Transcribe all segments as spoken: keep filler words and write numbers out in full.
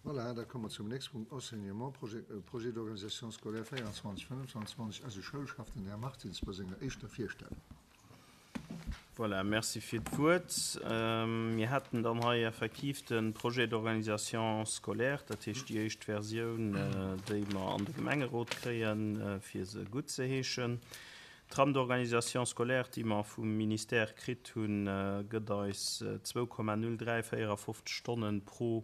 Voilà, da komme mer zum nächste Punkt, Enseignement, Projet, Projet d'organisation scolaire véierundzwanzeg, fënnfundzwanzeg, eise Schoulchef, den Här Martins, bei senger éischter Virstellung. Voilà, merci fir d'Wuert. Mir hätten dann hei effektiv de Projet d'organisation scolaire, dat heescht déi éischt Versioun, déi mer an de Gemengerot kréien, fir se guttzeheeschen. D'Trame d'organisation scolaire, déi mer vum Ministère kritt hunn, gëtt eis zwou Komma null dräi véierafofzeg Stonnen pro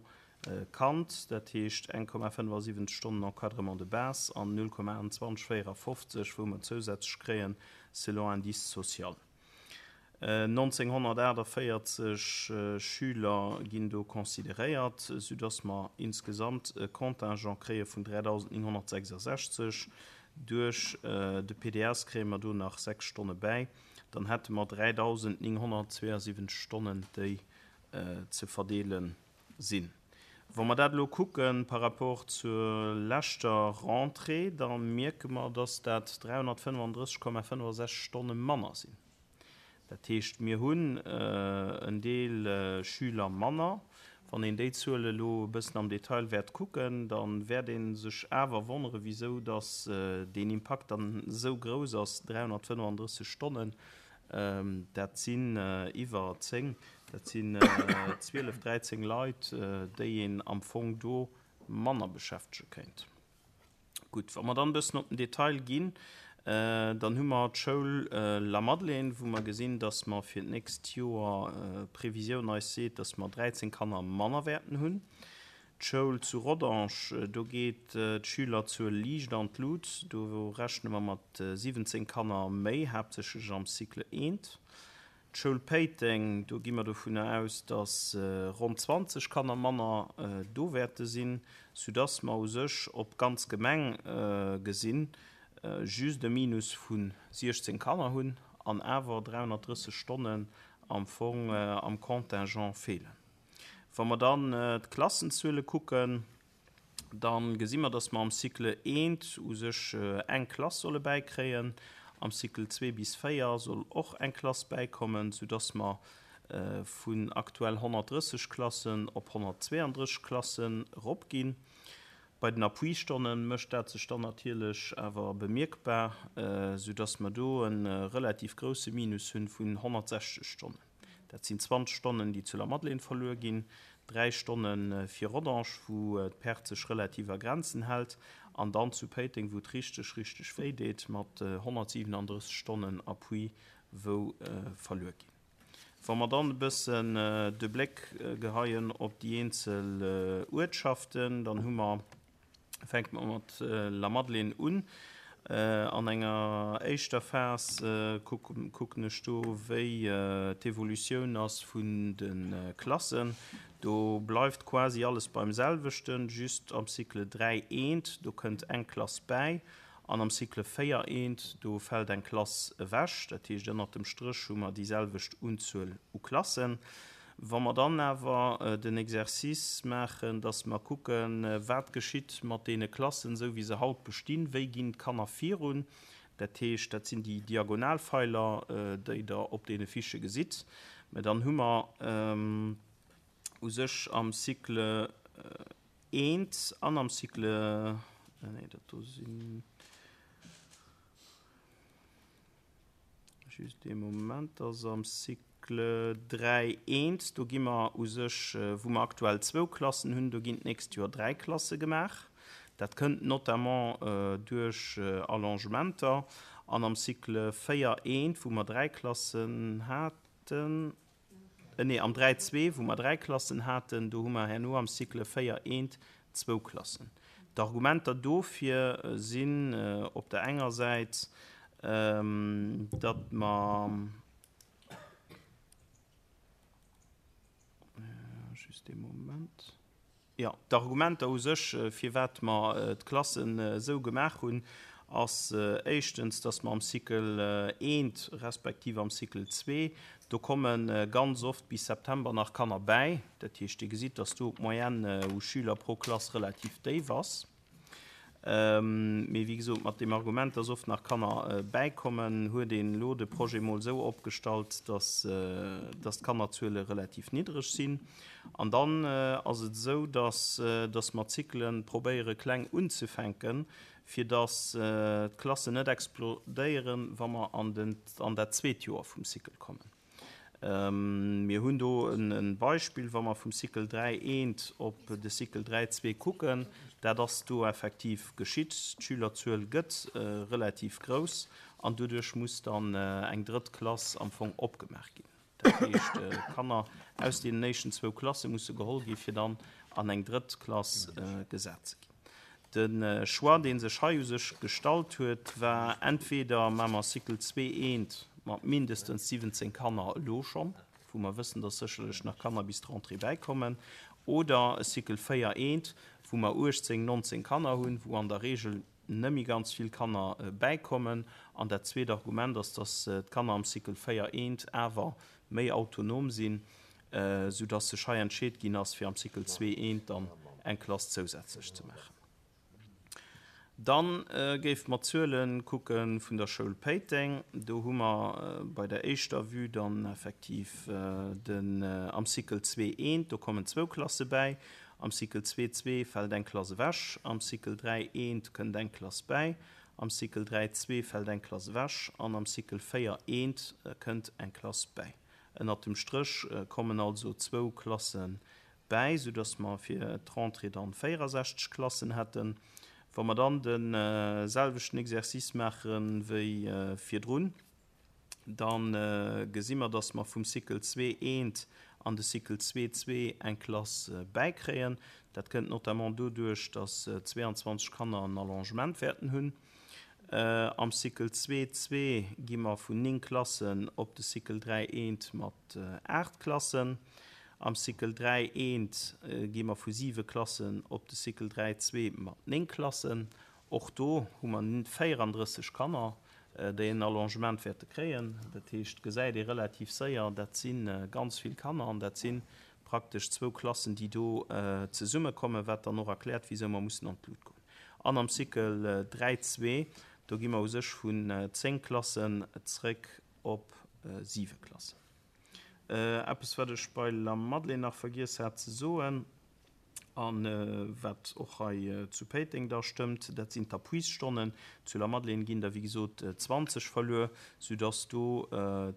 Kand, dat heescht eng Komma fënnefasiwwenzeg Stonnen Encadrement de base an null Komma achtenzwanzeg véierafofzeg, wou mer zousätzlech kréien selon indice social. nonzénghonnertaachtavéierzeg Schüler ginn do consideréiert, soudass mer insgesamt e Contingent kréie vun dräidausendnénghonnertsechsasechzeg. Duerch de P D S kréie mer do nach sechs Stonne bäi. Dann hätte mer dräidausendnénghonnertzweeasiwwenzeg Stonnen, déi ze verdeele sinn. Wa mer dat elo kucke par rapport zur leschter Rentrée, da mierke mer, dass dat dräihonnertfënnefandrësseg Komma fënnefasechzeg Stonne manner sinn. Dat heescht, mir hunn en Deel Schüler manner. Wann een déi Zuel elo e bëssen am Detail wäert kucken, da wäert ee sech awer wonnere, wisou dass deen Impakt dann esou grouss ass, dräihonnertfënnefandrësseg Stonnen, dat sinn iwwer zéng, dat sinn zwielef, dräizéng Leit, déi een am Fong do manner beschäftege kéint. Gutt, wa mer dann e bëssen op den Detail ginn, dann hu mer d'Schoul Lamadelaine, wou mer gesinn, dass mer fir d'nächst Joer, d'Previsioun eis seet, dass mer dräizéng Kanner manner wäerten hunn. D'Schoul zu Rodange, do geet d'Schülerzuel liicht an d'Lut, do rechne mer mat siwwenzéng Kanner méi, haaptsächlech am Cycle eent. D'Schoul Péiteng, do gi mer dovunner aus, dass ronn zwanzeg Kanner manner do wäerte sinn, soudass mer u sech op d'ganz Gemeng gesinn just e Minus vu siechzéng Kanner hunn an awer dräihonnertdrësseg Stonnen am Fong am Contingent feelen. Wa mer dann d'Klassenzuele kucken, da gesi mer, dass mer am Cycle eent u sech eng Klass solle bäikréien. Am Cycle zwee bis véier soll och eng Klass bäikommen, soudass mer vun aktuell honnertdrësseg Klassen op honnertzweeandrësseg Klassen eropginn. Bei den Appuistonne mécht dat sech dann natierlech awer bemierkbar, soudass mer do e relativ grousse Minus hunn vun honnertsechzeg Stonnen. Dat sinn zwanzeg Stonnen, déi zu Lamadelaine verluer ginn, dräi Stonne fir Rodange, wou d'Perte sech relativ a Grenzen hält, an dann zu Péiteng, wou et richteg, richteg wéi deet, mat honnertsiwenandrësseg Stonnen Appui, wou verluer ginn. Wa mer dann e bëssen de Bléck geheien op déi eenzel Uertschaften, dann hu mer, fänke mer mat Lamadelaine un. An enger éischter Phas kucken ech do, wéi d'Evolutioun ass vun de Klassen. Do bleift quasi alles beim selwechten, just am Cycle dräi eent, do kënnt eng Klass bäi, an am Cycle véier eent, do fält eng Klass ewech. Dat heescht, ënnert dem Stréch hu mer déi selwecht Unzuel u Klassen. Wa mer dann awer den Exercice maachen, dass mer kucken, wat geschitt mat deene Klassen, esou wéi se haut bestinn, wéi ginn d'Kanner virun, dat heescht, dat sinn déi Diagonalfeiler, déi Der op deene Fichë gesitt, mä dann hu mer u sech am Cycle eent an am Cycle, nee, dat do sinn, just ee Moment, ass am Cycle dräi eent, do gi mer u sech, wou mer aktuell zwou Klassen hunn, do ginn d'nächst Joer dräi Klasse gemaach. Dat kënnt notamment duerch Allongementer. An am Cycle véier eent, wou mer dräi Klassen haten, nee, am dräi zwee, wou mer dräi Klassen haten, do hu mer herno am Cycle véier eent zwou Klassen. D'Argumenter dofir sinn op der enger Säit, datt mer, just ee Moment, jo, d'Argumenter u sech, firwat mer d'Klassen esou gemaach hunn, ass éischtens, datt mer am Cycle eent respektiv am Cycle zwee, do komme ganz oft bis September nach Kanner bäi. Dat heescht, Dir gesitt, datt do d'Moyenne u Schüler pro Klass relativ déif ass. Mee wéi gesot, mat deem Argument, dass oft nach Kanner bäikommen, huet een elo de Projet mol esou opgestallt, dass, dass d'Kannerzuele relativ niddreg sinn. An dann ass et esou, dass, dass mer d'Cyclen probéiere kleng unzefänken, fir dass d'Klassen net explodéieren, wa mer an den, an dat zweet Joer vum Cycle kommen. Mir hunn do e Beispill, wa mer vum Cycle dräi eent op de Cycle dräi zwee kucken, dat ass do effektiv geschitt. D'Schülerzuel gëtt relativ grouss an doduerch muss dann eng drëtt Klass am Fong opgemaach ginn. Dat heescht, Kanner aus deenen éischten zwou Klasse musse geholl gi fir dann an eng drëtt Klass gesat ze ginn. De Choix, dee sech hei u sech gestallt huet, war entweder maache mer Cycle zwee eent mat mindestens siwwenzéng Kanner elo schonn, wou mer wëssen, dass sécherlech nach Kanner bis d'Rentrée bäikommen, oder e Cycle véier eent, wou mer uechtzéng, nonzéng Kanner hunn, wou an der Regel net méi ganz vill Kanner bäikommen. An dat zweet Argument ass, dass d'Kanner am Cycle véier eent awer méi autonom sinn, soudass sech hei entscheet ginn ass, fir am Cycle zwee eent dann eng Klass zousätzlech ze maachen. Dann géife mer d'Zuele kucke vun der Schoul Péiteng. Do hu mer bei der éischter Vue dann effektiv den am Cycle zwee eent, do kommen zwou Klasse bäi. Am Cycle zwee zwee fält eng Klass ewech. Am Cycle dräi eent kënnt eng Klass bäi. Am Cycle dräi zwee fält eng Klass ewech. An am Cycle véier eent kënnt eng Klass bäi. Ënnert dem Stréch kommen also zwou Klasse bäi, soudass mer fir d'Rentrée dann véierundsechzeg Klassen hätten. Wa mer dann de selwechten Exercice maache wéi virdrun, dann gesi mer, dass mer vum Cycle zwee eent an de Cycle zwee zwee eng Klass bäikréien. Dat kënnt notamment doduerch, dass zweiundzwanzeg Kanner en Allongement wäerten hunn. Am Cycle zwee zwee gi mer vun néng Klassen op de Cycle dräi eent mat aacht Klassen. Am Cycle dräi eent gi mer vu siwe Klassen op de Cycle dräi zwee mat néng Klassen. Och do hu mer véierunddrësseg Kanner, déi en Allongement wäerte kréien. Dat heescht, gesäit ee relativ séier, dat si ganz vill Kanner an dat si praktesch zwou Klassen, déi do zesummekommen, wat dann och erkläert, wieso mer mussen an d'Lut goen. An am Cycle dräi zwee, do gi mer u sech vun zéng Klassen zréck op siwe Klassen. Eppes, wat ech bei La Madeleine nach vergiess hat ze soen, an wat och hei zu Péiteng da stëmmt, dat sinn d'Appuisstonnen. Zu La Madeleine ginn da, wéi gesot, zwanzeg verluer, soudass do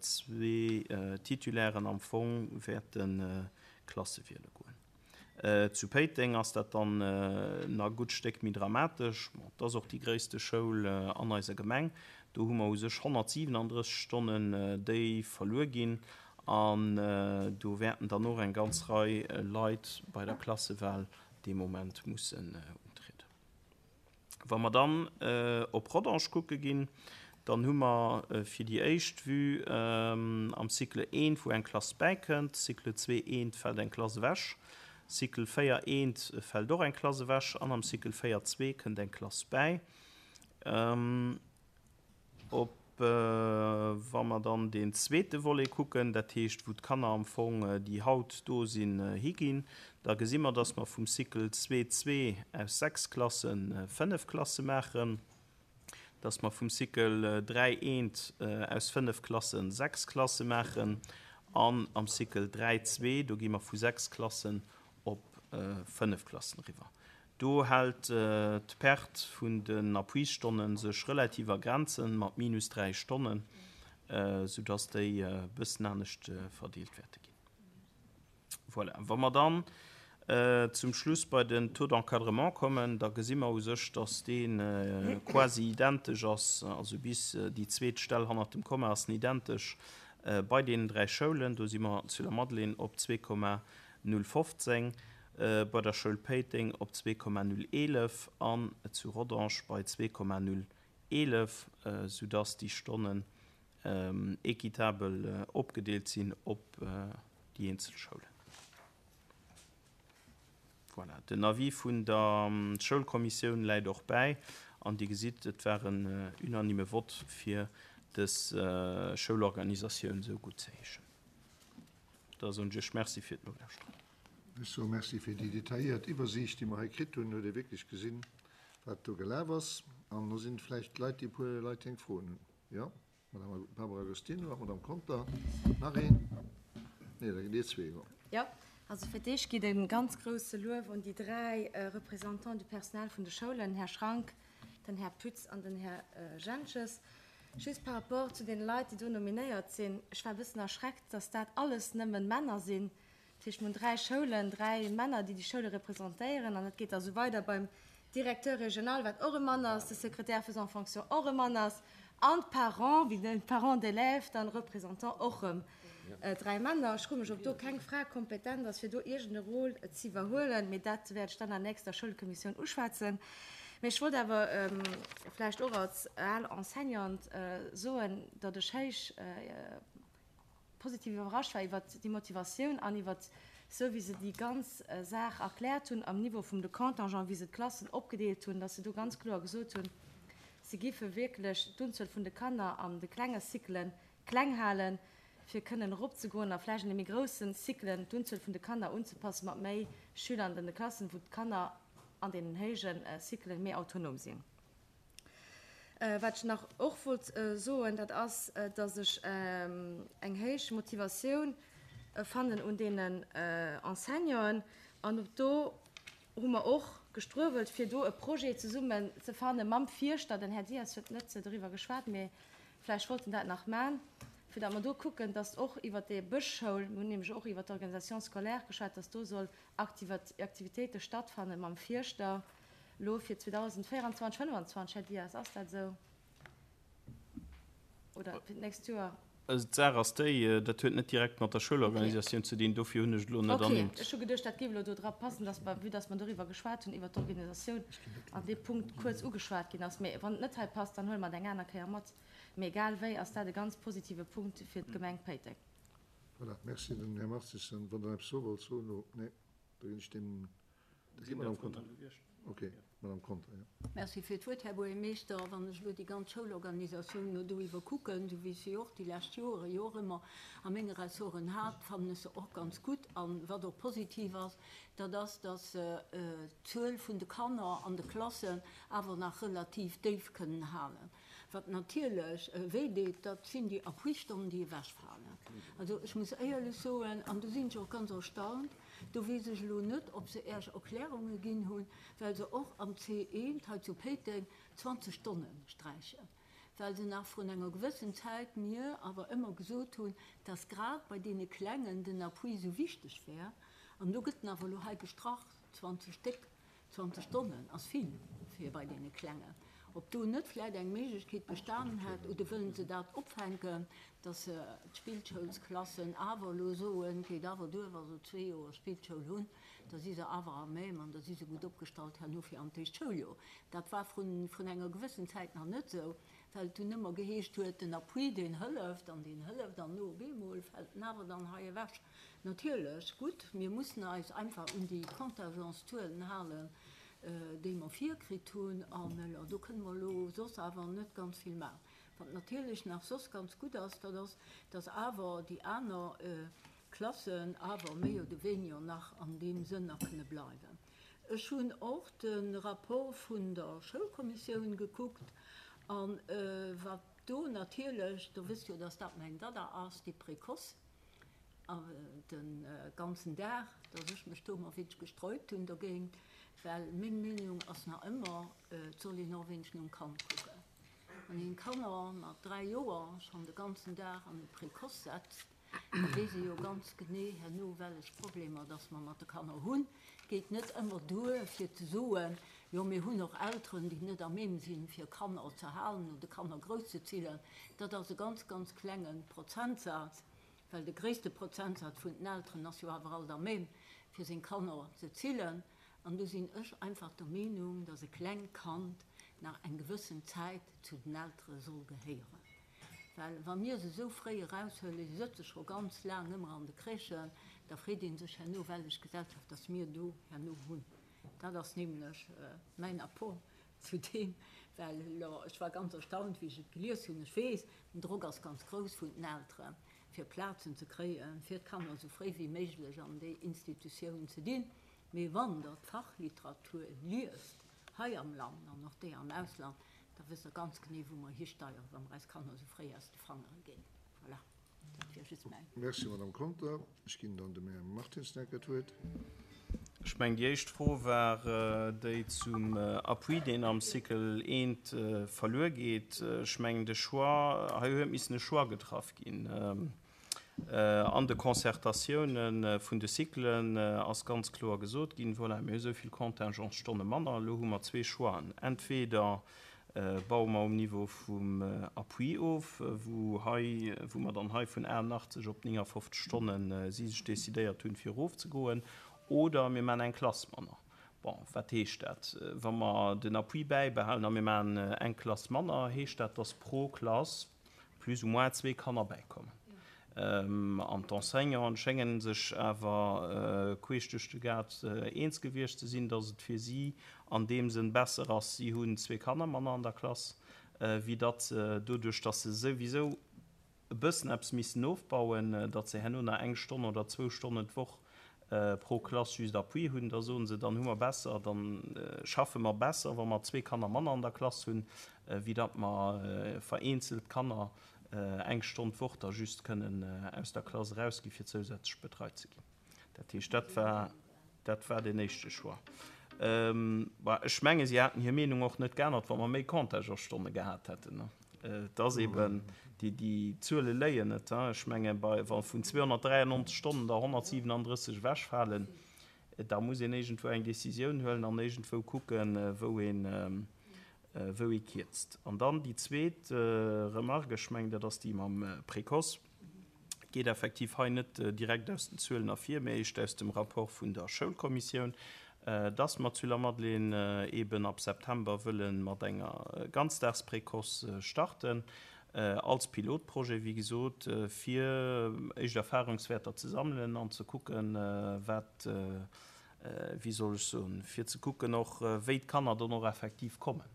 zwee Titulairen am Fong wäerte Klasse wiele goen. Zu Péiteng ass dat dann nach e gutt Stéck méi dramatesch. Bon, dat ass och déi gréisste Schoul an eiser Gemeng. Do hu mer u sech honnertsiwenunddrësseg Stonnen, déi verluer ginn. An do wäerten dann och eng ganz Rei Leit bei der Klassewahl dee Moment mussen untrieden. Wa mer dann op Rodange kucke ginn, dann hu mer fir déi éischt Vue am Cycle eent, wou eng Klass bäikënnt, Cycle zwee eent fält eng Klass ewech, Cycle véier eent fält och eng Klass ewech an am Cycle véier zwee kënnt eng Klass bäi. Op wa mer dann den zweete Volet kucken, dat heescht, wou d'Kanner am Fong, déi haut do sinn, higinn, da gesi mer, dass mer vum Cycle zwee zwee aus sechs Klassen fënnef Klasse maachen, dass mer vum Cycle dräi eent aus fënnef Klassen sechs Klasse maachen an am Cycle dräi zwee, do gi mer vu sechs Klassen op fënnef Klassen eriwwer. Do hält d'Perte vun den Appuisstonnen sech relativ a Grenzen mat minus dräi Stonnen, soudass déi e bëssen anescht verdeelt wäerte ginn. Voilà. Wa mer dann zum Schluss bei den Taux d'encadrement kommen, da gesi mer u sech, dass dee quasi identesch ass, also bis déi zweet Stell hannert dem Komma ass identesch bei deenen dräi Schoulen. Do si mer zu der Madeleine op zwee Komma null fofzéng, bei der Schoul Péiteng op zwee Komma null eelef an zu Rodange bei zwee Komma null eelef, soudass déi Stonnen équitabel opgedeelt sinn op déi eenzel Schoulen. Voilà. Den Avis vun der Schoulkommissioun läit och bäi an Dir gesitt, et war en unanime Vott fir dës Schoulorganisatioun esou gutt ze heeschen. Da soen ech Iech Merci fir d'Nolauschteren. Ech soe Merci fir déi detailléiert Iwwersiicht, déi mer hei kritt hunn. Huet Dir wierklech gesinn, wat do gelaf ass. An do sinn vläicht Leit, déi e puer Leit eng Froen hunn. Jo, Madame Barbara Agostino a Madame Conter. Nach een? Nee, da gitt Dir zwee elo. Jo, also fir d'éischt geet e ganz grouse Luef un déi dräi Représentants du personnel vun de Schoulen, Här Schrank, den Här Pütz an den Här Jentges. Just par rapport zu deene Leit, déi do nominéiert sinn, ech war e bëssen erschreckt, dass dat alles nëmmen Männer sinn. Dat heescht, mir hunn dräi Schoulen, dräi Männer, déi déi Schoule representéieren. An et geet da sou weider beim Directeur régional, wat och e Mann ass, de Secrétaire faisant fonction och e Mann ass, an d'Parents, wéi de Parents d'élèves, dann Représentant och erëm dräi Männer. Ech froe mech, ob do keng Fra kompetent ass, fir do iergend e Rôle ze iwwerhuelen, mee dat wäert ech dann an der nächster Schoulkommissioun uschwätzen. Mee ech wollt awer vläicht och als al Enseignante soen, datt ech héich positiv iwwerrascht war iwwert déi Motivatioun an iwwert esou wéi se déi ganz Saach erkläert hunn am Niveau vum de Contingent, wéi se d'Klassen opgedeelt hunn, datt se do ganz kloer gesot hunn, se giffe wierklech d'Unzuel vun de Kanner an de klenge Cyclen kleng halen, fir kënnen eropzegoen a vläicht an de méi groussen Cyclen d'Unzuel vun de Kanner unzepassen mat méi Schüler an de Klassen, wou d'Kanner an deenen héije Cyclen méi autonom sinn. Wat ech nach och wollt soen, dat ass, dass ech eng héich Motivatioun fannen un deenen Enseignanten. An och do hu mer och gestruewelt, fir do e Projet zesummen ze fanne mam Fierschter. Den Här Dias huet net doriwwer geschwat, mee vläicht wollt en dat nach man, fir datt mer do kucken, dass och iwwert déi Bëschschoul, mir hunn nämlech och iwwert d'Organisation scolaire geschwat, dass do soll Aktivitéite stattfanne mam Fierschter elo fir zweedausendvéieranzwanzeg, fënnefanzwanzeg. Här Dias, ass dat esou? Oder fir d'nächst Joer? Also d'Saach ass déi, dat huet net direkt mat der Schoulorganisatioun ze dinn, dofir hunn ech et elo net ernimmt. Okay, ech hu geduecht, dat géif elo do dra passen, dass mer, vue dass mer doriwwer geschwat hunn, iwwert d'Organisatioun, an dee Punkt kuerz ugeschwat ginn ass. Mee wann et net hei passt, dann huele mer et eng aner Kéier mat. Mee egal wéi ass dat e ganz positive Punkt fir d'Gemeng Péiteng. Voilà, merci. Den Här Martissen, wann Der eppes soe wollt, soen elo. Nee, da ginn ech dem, da geet d'Madame Conter. Okay, Madame Conter, jo. Merci fir d'Wuert, Här Buergermeeschter. Wann ech elo déi ganz Schoulorganisatioun elo do iwwerkucken, esou wéi ech se och déi lescht Joere jo och ëmmer a menge Ressorten hat, fannen ech se och ganz gutt. A wat och positiv ass, dat ass, dass se d'Zuel vun de Kanner an de Klassen awer nach relativ déif kënnen halen. Wat natierlech wéi deet, dat sinn déi Appuistonnen, déi ewechfalen. Also ech muss éierlech soen, an do sinn ech och ganz erstaunt, do weess ech elo net, ob se Äech Erklärunge ginn hunn, well se och am C eent hei zu Péiteng zwanzeg Stonne sträichen, well se nach vrun enger gewëssen Zäit mir awer ëmmer gesot hunn, dass grad bei deene Klengen den Appui esou wichteg wär. An do gëtt en awer elo hei gestrach, zwanzeg Stéck. Zwanzeg Stonnen ass vill fir bei deene Klengen. Ob do net vläit eng Méiglechkeet bestanen hätt, oder wëllen se dat opfänken, dass se d'Spillschoulsklassen awer elo soen, et geet awer duer, wa se zwee Joer Spillschoul hunn, da si se awer à même an da si se gutt opgestallt herno fir an d'éischt Schouljoer. Dat war vrun enger gewëssen Zäit nach net esou, well et dunn ëmmer geheescht huet, den Appui, deen hëlleft an deen hëlleft an no op eemol fält en awer dann hei ewech. Natierlech, gutt, mir mussen eis einfach un déi Contingentszuelen halen, déi mer virkritt hunn, an do kënne mer elo soss awer net ganz vill maachen. Wat natierlech nach soss ganz gutt ass, dat ass, dass awer déi aner Klassen awer méi oder weniger nach an deem Sënn nach kënne bleiwen. Ech hunn och de Rapport vun der Schoulkommissioun gekuckt, a wat do natierlech, Der wësst jo, dass dat mäin Dada ass, déi Précoce, de ganzen Dag, dass ech mech do emmer wéineg gesträubt hunn dogéint, well meng Meenung ass nach ëmmer, et soll een och e wéineg nom Kand kucken. Wann een Kanner mat dräi Joer schonn de ganzen Dag an e Précoce setzt, da weess ee jo ganz genee herno, wellech Problemer dass mer mat de Kanner hunn. Et geet net ëmmer duer, fir ze soen, jo mir hunn och Elteren, déi net à même sinn, fir Kanner ze halen oder Kanner grousszezillen. Dat ass e ganz, ganz klenge Prozentsaz. Well de gréisste Prozentsaz vun den Elteren ass jo awer alt à même, fir seng Kanner ze zillen. An do sinn ech einfach der Meenung, dass e klengt Kand nach eng gewëssen Zäit zu den Eltere soll gehéieren. Well wa mir se esou fréi eraushuelen, si sëtze scho ganz laang ëmmer an de Crèchen, da freet ee sech herno, wellech Gesellschaft dass mir do herno hunn. Dat ass nämlech mäin Apport zu deem, well elo, ech war ganz erstaunt, wéi ech et gelies hunn. Ech weess, den Drock ass ganz grouss vun den Elteren, fir Plazen ze kréien, fir d'Kanner esou fréi wéi méiglech an déi Institutioun ze dinn. Mee wann Der d'Fachliteratur liest, hei am Land an och déi am Ausland, da wësst Der ganz genee, wou mer histeieren, wa mer eis Kanner esou fréi aus de Fangere ginn. Voilà, dat wier just mäin. Merci, Madame Conter. Ech ginn dann dem Här Martins nach eng Kéier d'Wuert. Ech mengen, déi éischt Fro war déi zum Appui, deen am Cycle eent verluer geet. Ech mengen, de Choix, hei huet missen e Choix getraff ginn. An de Concertatioune vun de Cyclen ass ganz kloer gesot ginn, voilà, mir hu esou vill Contingentstonne manner, elo hu mer zwee Choixen, entweder baue mer um Niveau vum Appui of, wou hei, wou mer dann hei vun achtundachtzeg op neunundfünfzig Stonnen si sech decidéiert hunn, fir erofzegoen, oder mir maachen eng Klass manner. Bon, wat heescht dat? Wa mer den Appui bäibehalen a mir maachen eng Klass manner, heescht dat, dass pro Klass plus ou moins zwee Kanner bäikommen. An d'Enseignanten schéngen sech awer queesch duerch de Gaart eens gewiescht ze sinn, dass et fir si an deem Sënn besser ass, si hunn zwee Kanner manner an der Klass, wéi datt se doduerch, dass se souwisou e bëssen eppes missen ofbauen, datt se herno nach eng Stonn oder zwou Stonnen d'Woch pro Klass just Appui hunn, da soen se, dann hu mer besser, dann schaffe mer besser, wa mer zwee Kanner manner an der Klass hunn, wéi datt mer vereenzelt Kanner eng Stonn d'Woch da just kënnen aus der Klass erausgi fir zousätzlech betreit ze ginn. Dat heescht, dat war, dat war den éischte Choix. Bah, ech menge, si haten hir Meenung och net geännert, wa mer méi Contingentsstonne gehat hätten, ne? Et ass eben, déi, déi Zuele léien net, hein? Ech menge, bei, wa vun zweehunnertdräiundneunzeg Stonnen der honnertsiewenunddrësseg ewechfalen, da muss een iergendwou eng Decisioun huelen an iergendwou kucken, wou een, wou ee kierzt. An dann déi zweet Remarque, ech mengen, dat ass déi mam Précoce, geet effektiv hei net direkt aus den Zuelen ervir, mee éischt aus dem Rapport vun der Schoulkommissioun, dass mer zu Lamadelaine eben ab September wëllen mat enger Ganzdagsprécoce starten, als Pilotprojet, wéi gesot, fir éischt Erfahrungswerter ze sammelen an ze kucken, wat, wéi soll ech soen, fir ze kucken och, wéi d'Kanner dann och effektiv kommen.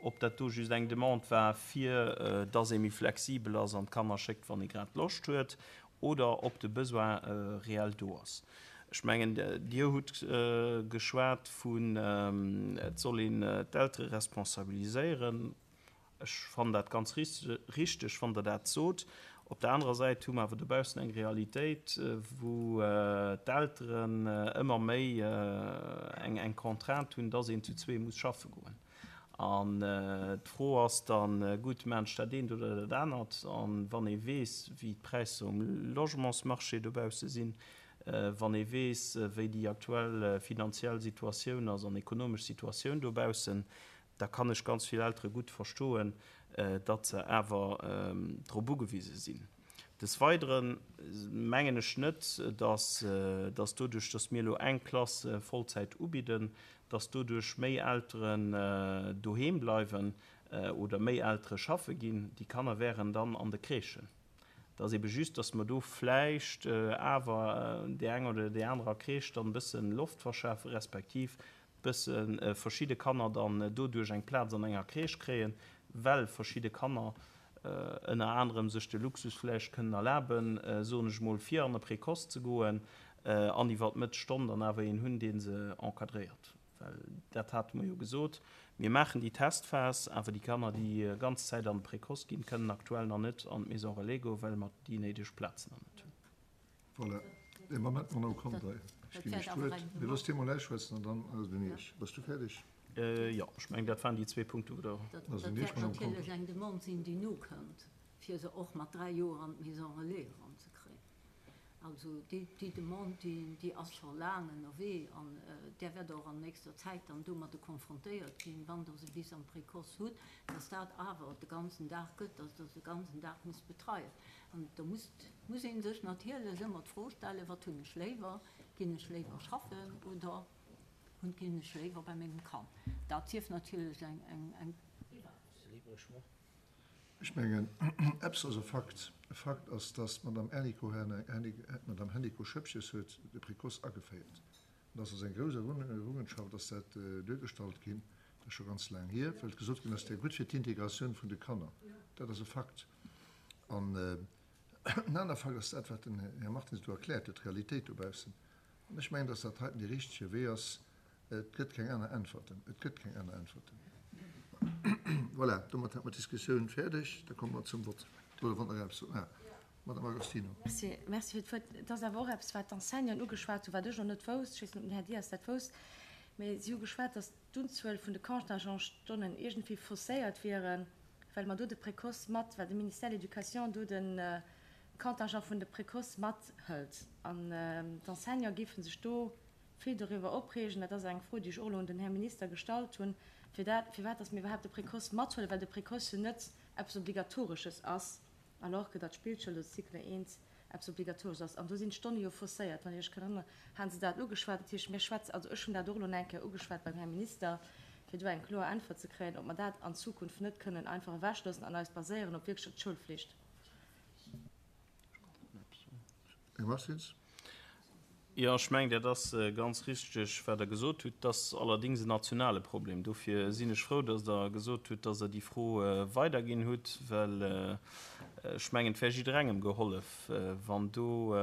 Ob dat do just eng Demande war, fir dass ee méi flexibel ass an d'Kanner schéckt, wann ee grad Loscht huet, oder ob de Besoin reell do ass. Ech mengen, Dir hutt geschwat vun, et soll een d'Eltere responsabiliséieren. Ech fannen dat ganz richteg, wann Der dat sot. Op der anerer Säit hu mer awer dobaussen eng Realitéit, wou d'Elteren ëmmer méi eng, eng Contrainte hunn, dass een zu zwee muss schaffe goen. An d'Fro ass dann, gutt, maachen ech dat eent oder dat anert? An wann ee weess, wéi d'Präisser um Logementsmarché dobausse sinn, wann ee weess, wéi déi aktuell finanziell Situatioun ass an ekonomesch Situatioun dobaussen, da kann ech ganz vill Eltere gutt verstoen, datt se awer drop ugewise sinn. Des Weiteren mengen ech net, dass, dass doduerch, dass mir elo eng Klass Vollzäit ubidden, dass doduerch méi Elteren doheem bleiwen oder méi Eltere schaffe ginn. Déi Kanner wären dann an de Crèchen. Dat ass ebe just, dass mer do vläicht awer déi eng oder déi anerer Crèche dann e bëssen Loft verschafen, respektiv bësse verschidde Kanner dann doduerch eng Plaz an enger Crèche kréien, well verschidde Kanner ënner anerem sech de Luxus vläicht kënnen erlaben, soen ech mol, fir an e Précoce ze goen an iwwer d'Mëttestonn dann awer een hunn, dee se encadréiert. Well dat hate mer jo gesot, mir maachen déi Testphas, awer déi Kanner, déi ganz Zäit an de Précoce ginn, kënnen aktuell nach net an d'Maison Relais goen, well mer déi néideg Plazen nach net hunn. Voilà. De Moment, Madame Conter, ech ginn Iech d'Wuert. Mir loossen Dir mol ausschwätzen an dann ass et un Iech. Bass du fäerdeg? Jo, ech mengen, dat waren déi zwee Punkte, wou Der Dat wäert natierlech eng Demande sinn, déi nokënnt, fir se och mat dräi Joer an d'Maison Relais eranzekréien. Also déi, déi Demande, déi, déi ass scho laang ënnerwee an där wäert och an nächster Zäit dann domadde konfrontéiert ginn, wann Der se bis am Précoce hutt, dass dat awer de ganzen Dag gëtt, dass Der se de ganzen Dag musst betreien. An da muss, muss ee sech natierlech ëmmer d'Fro stellen, wat hunn ech léiwer? Ginn ech léiwer schaffen oder hunn, ginn ech léiwer bei mengem Kand? Dat sief natierlech eng, eng, eng Ech mengen, eppes ass e Fakt. E Fakt ass, dass d'Madame Hennicot, d'Madame Hennicot-Schëppches huet de Précoce ageféiert. An dass ass eng grouss Errungenschaft, dass dat duergestallt ginn. Dat ass scho ganz laang hier, well gesot ginn ass, dat wär gutt fir d'Integratioun vun de Kanner. Dat ass e Fakt. An en aner Fakt ass dat, wat den Här Martins do erkläert huet, d'Realitéit dobaussen. An ech mengen, dass dat heiten dee richtege Wee ass, Et gëtt keng aner Äntwerten. Et gëtt keng aner Äntwerten. Voilà, domat hätte mer d'Diskussioun fäerdeg. Da komme mer zum Vott. Oder wann Der eppes. Ah, Madame Agostino. Merci, merci fir d'Wuert. Et ass awer och eppes, wat d'Enseignanten ugeschwat hunn, wat ech och net wousst. Ech weess net, ob den Här Dias dat wousst. Mee si hu geschwat, datt d'Unzuel vun de Contingentstonnen iergendwéi fausséiert wieren, well mer do de Précoce mat, well de Ministère de l'Éducation do de Contingent vun de Précoce mathëlt. An d'Enseignante géife sech do vill doriwwer opreegen. Dat ass eng Fro, déi ech och elo un den Här Minister gestallt hunn, fir dat, firwat datt mir iwwerhaapt de Précoce mathuelen, well de Précoce jo net eppes Obligatoresches ass, alors que datt d'Spillschoul oder de Cycle eent eppes Obligatoresches ass. An do sinn d'Stonne jo fausséiert. Wann Dir Iech kënnt erënneren, hate se dat ugeschwat. Dat heescht, mir schwätzen, also ech hunn dat och elo eng Kéier ugeschwat beim Här Minister, fir do eng kloer Äntwert ze kréien, ob mer dat an Zukunft net kënnen einfach ewechloossen an eis baséieren op wierklech d'Schoulflicht. Här Martins. Jo, ech mengen, dat ass ganz richteg, wat Der gesot hutt. Dat ass allerdéngs en nationale Problem. Dofir sinn ech frou, dass Der gesot hutt, dass Der déi Fro weiderginn hutt, well ech mengen, et wär jidderengem gehollef, wann do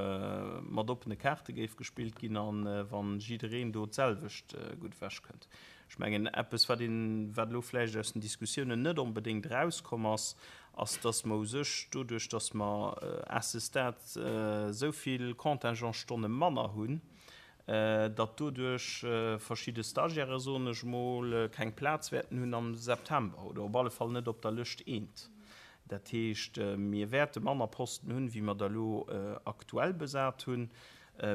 mat oppene Kaarte géif gespillt ginn a wa jiddereen do d'selwecht gutt ewechkënnt. Ech mengen, eppes, wat een, wat elo vläicht aus den Diskussiounen net onbedéngt erauskomm ass, ass, dass mer u sech doduerch, dass mer à ce stade esou vill Contingentsstonne manner hunn, datt doduerch verschidde Stagiaire, soen ech emol, keng Plaz wäerten hunn am September oder op alle Fall net op der Lëscht eent. Dat heescht, mir wäerte manner Posten hunn, wéi mer der elo aktuell besat hunn.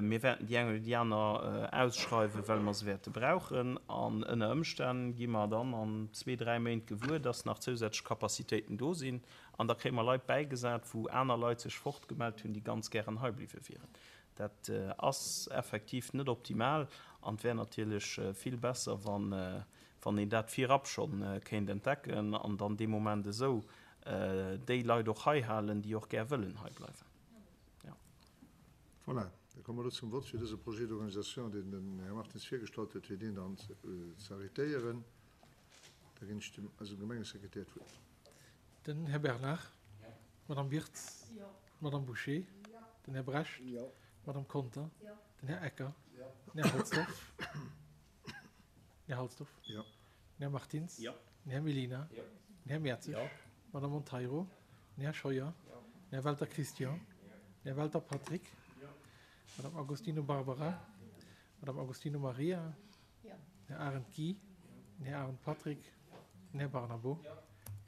Mir wäerten déi eng oder déi aner ausschreiwen, well mer se wäerte brauchen. An ënner Ëmstänn gi mer dann an zwee, dräi Méint gewuer, dass nach zousätzlech Capacitéiten do sinn. An da kréie mer Leit bäigesat, wou aner Leit sech fortgemellt hunn, déi ganz gären hei bliwwe wieren. Dat ass effektiv net optimal an et wär natierlech vill besser, wann een dat virab scho kéint entdecken an dann dee Moment esou déi Leit och hei halen, déi och gär wëllen hei bleiwen. Jo. Voilà, da komme mer elo zum Vott fir dëse Projet d'organisation, deen den Här Martins virgestallt huet, fir deen dann ze arrêtéieren. Da ginn ech dem eisem Gemengesekretär d'Wuert. Den Här Bernard. D'Madame Wirtz. D'Madame Bouché. Den Här Brecht. D'Madame Conter. Den Här Ecker. Den Här Halsdorf. Den Här Halsdorf. Den Här Martins. Den Här Mellina. Den Här Mertzig. D'Madame Monteiro. Den Här Scheuer. Den Här Welter Christian. Den Här Welter Patrick. D'Madame Agostino Barbara. D'Madame Agostino Maria. Den Här Arendt Guy. Den Här Arendt Patrick. Den Här Barnabo.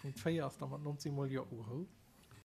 Punkt véier ass da mat nonzéng Mol Jo ugeholl.